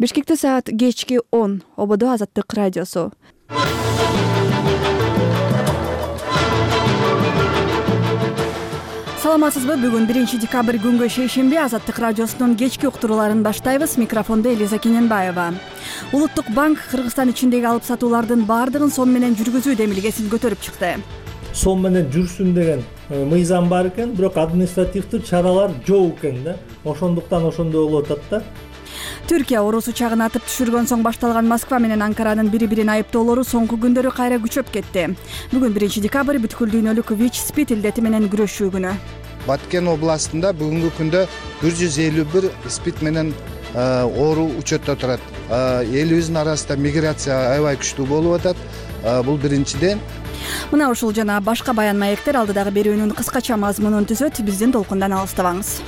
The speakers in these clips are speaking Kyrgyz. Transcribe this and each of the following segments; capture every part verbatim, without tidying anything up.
Бишкекте саат кечки он. Ободо Азаттык радиосу. Саламатсызбы? Бүгүн биринчи декабрь күнгө шейшемби Азаттык радиосунун кечки уктурууларын баштайбыз. Микрофонда Элиза Кененбаева. Улуттук банк Кыргызстан ичиндеги алып сатуулардын баардыгын сом менен жүргүзүү демилгесин көтөрүп чыкты. Сом менен жүрсүн деген мыйзам бар экен, бирок административдүү чаралар жок экен да. Ошондуктан ошондой болуп атат да. Түркия орус учагын атып түшүргөн соң башталган Москва менен Анкаранын бири-бирин айыптоолору соңку күндөрү кайра күчөп кетти. Бүгүн биринчи декабрь бүткүл дүйнөлүк ВИЧ-СПИД илдети менен күрөшүү күнү. Баткен областында бүгүнкү күндө бир жүз элүү бир СПИД менен оору учетто турат. Элибиздин арасында миграция аябай күчтүү болуп атат. Бул биринчиден. Мына ушул жана башка баян маектер алдыдагы берүүнүн кыскача мазмунун түзөт. Биздин толкундан алыстабаңыз.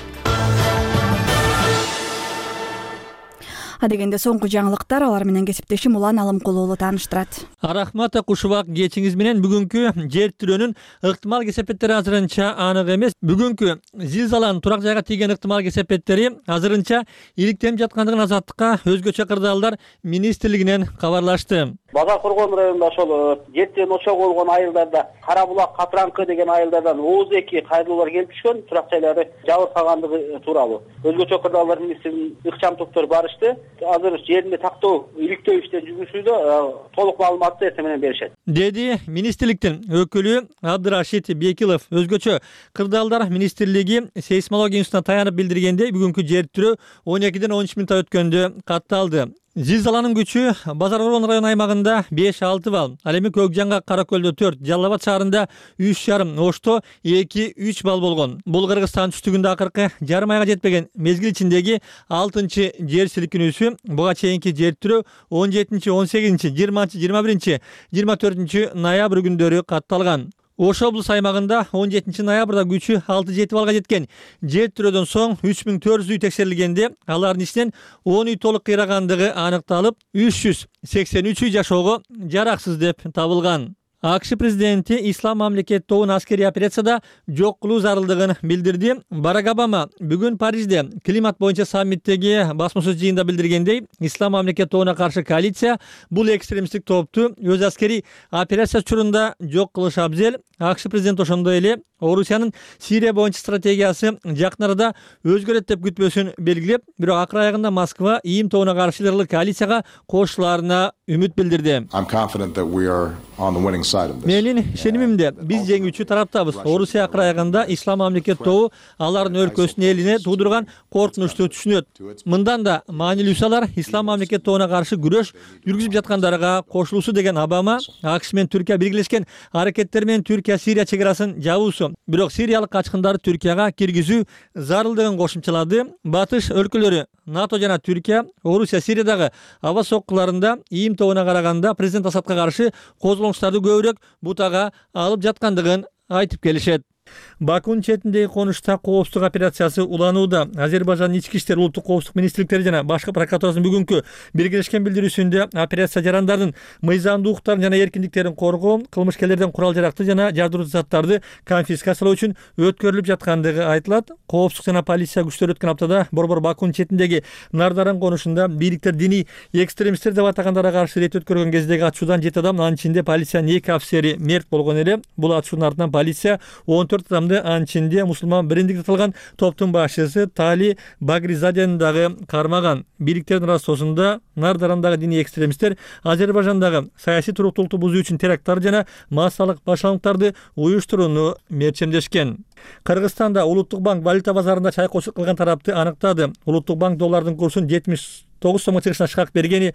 Адегенде соңку жаңылыктар, алар менен кесиптешим Улан Алымкулуулу тааныштырат. Рахмат кушубак кечиңиз менен бүгүнкү жер тирөөнүн ыктымал кесепеттери азырынча анык эмес. Бүгүнкү зилзаланын турак жайга тийген ыктымал кесепеттери азырынча иликтенип жаткандыгын Азаттыкка өзгөчө кырдаалдар министрлигинен кабарлашты. Базар Коргон районунда ошол жер тирөөнүн очогу болгон айылдарда Кара булак, Капранкы деген айылдардан отуз эки кайрылуулар келип түшкөн, турак жайлары жабыркагандыгы тууралуу. Өзгөчө кырдаалдар министринин ыкчам топтору барышты. Азыр жеринде тактоо иликтөө иштери жүргүзүүдө, толук маалыматты эртең менен беришет. Деди министрликтин өкүлү Абдырашид Бекилов. Өзгөчө кырдаалдар министрлиги сейсмология институтуна таянып билдиргендей, бүгүнкү жер тирөө он экиден он үч мүнөт өткөндө катталды. Зилзаланын күчү Базар Коргон район аймагында беш алты балл, ал эми Көкжанга, Каракөлдө төрт, Жалал Абад шаарында үч жарым, Ошто эки үч балл болгон. Бул Кыргызстан түштүгүндө акыркы жарым айга жетпеген мезгил ичиндеги алтынчы жер силкинүүсү. Буга чейинки жер тирөө он жетинчи, он сегизинчи, жыйырманчы, жыйырма биринчи, жыйырма төртүнчү ноябрь күндөрү катталган. Ош облус аймагында он жетинчи ноябрда күчү алты жети баллга жеткен. Жер тирөөдөн соң үч миң төрт жүз үй текшерилгенде, алардын ичинен он үй толук кыйрагандыгы аныкталып, үч жүз сексен үч үй жашоого жараксыз деп табылган. АКШ президенти Ислам мамлекет тобун аскерий операцияда жок кылуу зарылдыгын билдирди. Барак Обама бүгүн Парижде климат боюнча саммиттеги басма сөз жыйында билдиргендей, Ислам мамлекет тобуна каршы коалиция бул экстремисттик топту өз аскерий операция учурунда жок кылышы абзел. АКШ президенти ошондой эле Орусиянын Сирия боюнча стратегиясы жакын арада өзгөрөт деп күтпөсүн белгилеп, бирок акыр аягында Москва ИИМ тобуна каршы ыйлык коалицияга кошуларына үмүт билдирди. Менин ишенимимде биз жеңүүчү тараптабыз. Орусия акыр аягында Ислам мамлекет тобу алардын өлкөсүнүн элине туудурган коркунучту түшүнөт. Мындан да маанилүүсү алар Ислам мамлекет тобуна каршы күрөш жүргүзүп жаткандарга кошулуусу деген Обама АКШ менен Түркия биргелешкен аракеттер менен Түркия Сирия чек арасын жабуусу, бирок сириялык качкындарды Түркияга киргизүү зарылдыгын кошумчалады. Батыш өлкөлөрү НАТО жана Түркия Орусия Сириядагы аба соккуларында ИИМ тобуна караганда президент Асадка каршы козголоңуштарды көбүрөөк бутага алып жаткандыгын айтып келишет. Бакунун четиндеги конушта коопсуздук операциясы уланууда. Азербайжан ички иштер, улуттук коопсуздук министрликтери жана башкы прокуратурасынын бүгүнкү биргелешкен билдирүүсүндө операция жарандардын мыйзамдуу укуктарын жана эркиндиктерин коргоо, кылмышкерлерден курал-жаракты жана жардыруучу заттарды конфискациялоо үчүн өткөрүлүп жаткандыгы айтылат. Коопсуздук жана полиция күчтөрү өткөн аптада борбор Бакунун четиндеги Нардаран конушунда бийликтер диний экстремисттер деп атагандарга каршы рейд өткөргөн кездеги ачуудан жети адам, анын ичинде полициянын эки офицери мерт болгон эле. Бул ачуунун артынан полиция он төрт адамды, анын ичинде мусулман бириндик аталган топтун башчысы Тали Багризадени дагы кармаган. Бийликтердин ырастоосунда Нардарандагы диний экстремисттер Азербайжандагы саясий туруктуулукту бузуу үчүн теракттар жана массалык башалаңдарды уюштурууну мерчемдешкен. Кыргызстанда Улуттук банк валюта базарында чайкоочулук кылган тарапты аныктады. Улуттук банк доллардын курсун жетимиш тогуз сомго чыгышына шкак бергени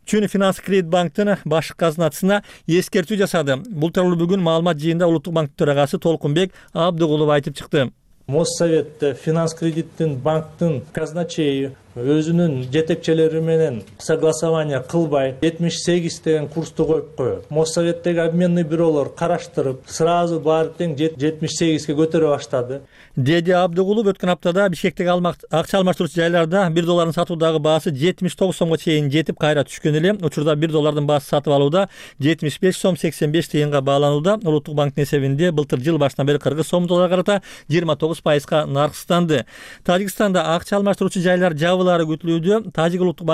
үчүн Финанс Кредит банктын башкы казначысына эскертүү жасады. Бул тууралуу бүгүн маалымат жыйында Улуттук банктын төрагасы Толкунбек Абдыгулов айтып чыкты. Моссоветте Финанс Кредиттин банктын казначейи өзүнүн жетекчилери менен согласование кылбай жетимиш сегиз деген курсту коюп коет. Моссоветтеги обменный бюролор караштырып, сразу баары тең жетимиш сегизге көтөрө баштады. Деди Абдыгулов өткөн аптада Бишкектеги акча алмаштыруучу жайларда бир доллардын сатуудагы баасы жетимиш тогуз сомго чейин жетип кайра түшкөн эле. Учурда бир доллардын баасы сатып алууда жетимиш беш сом сексен беш тыйынга бааланууда. Улуттук банктын эсебинде былтыр жыл башынан бери кыргыз сом долларга карата жыйырма тогуз пайызга нарксызданды. Тажикстанда акча алмаштыруучу жайлар жабылары күтүлүүдө. Тажик улуттук банк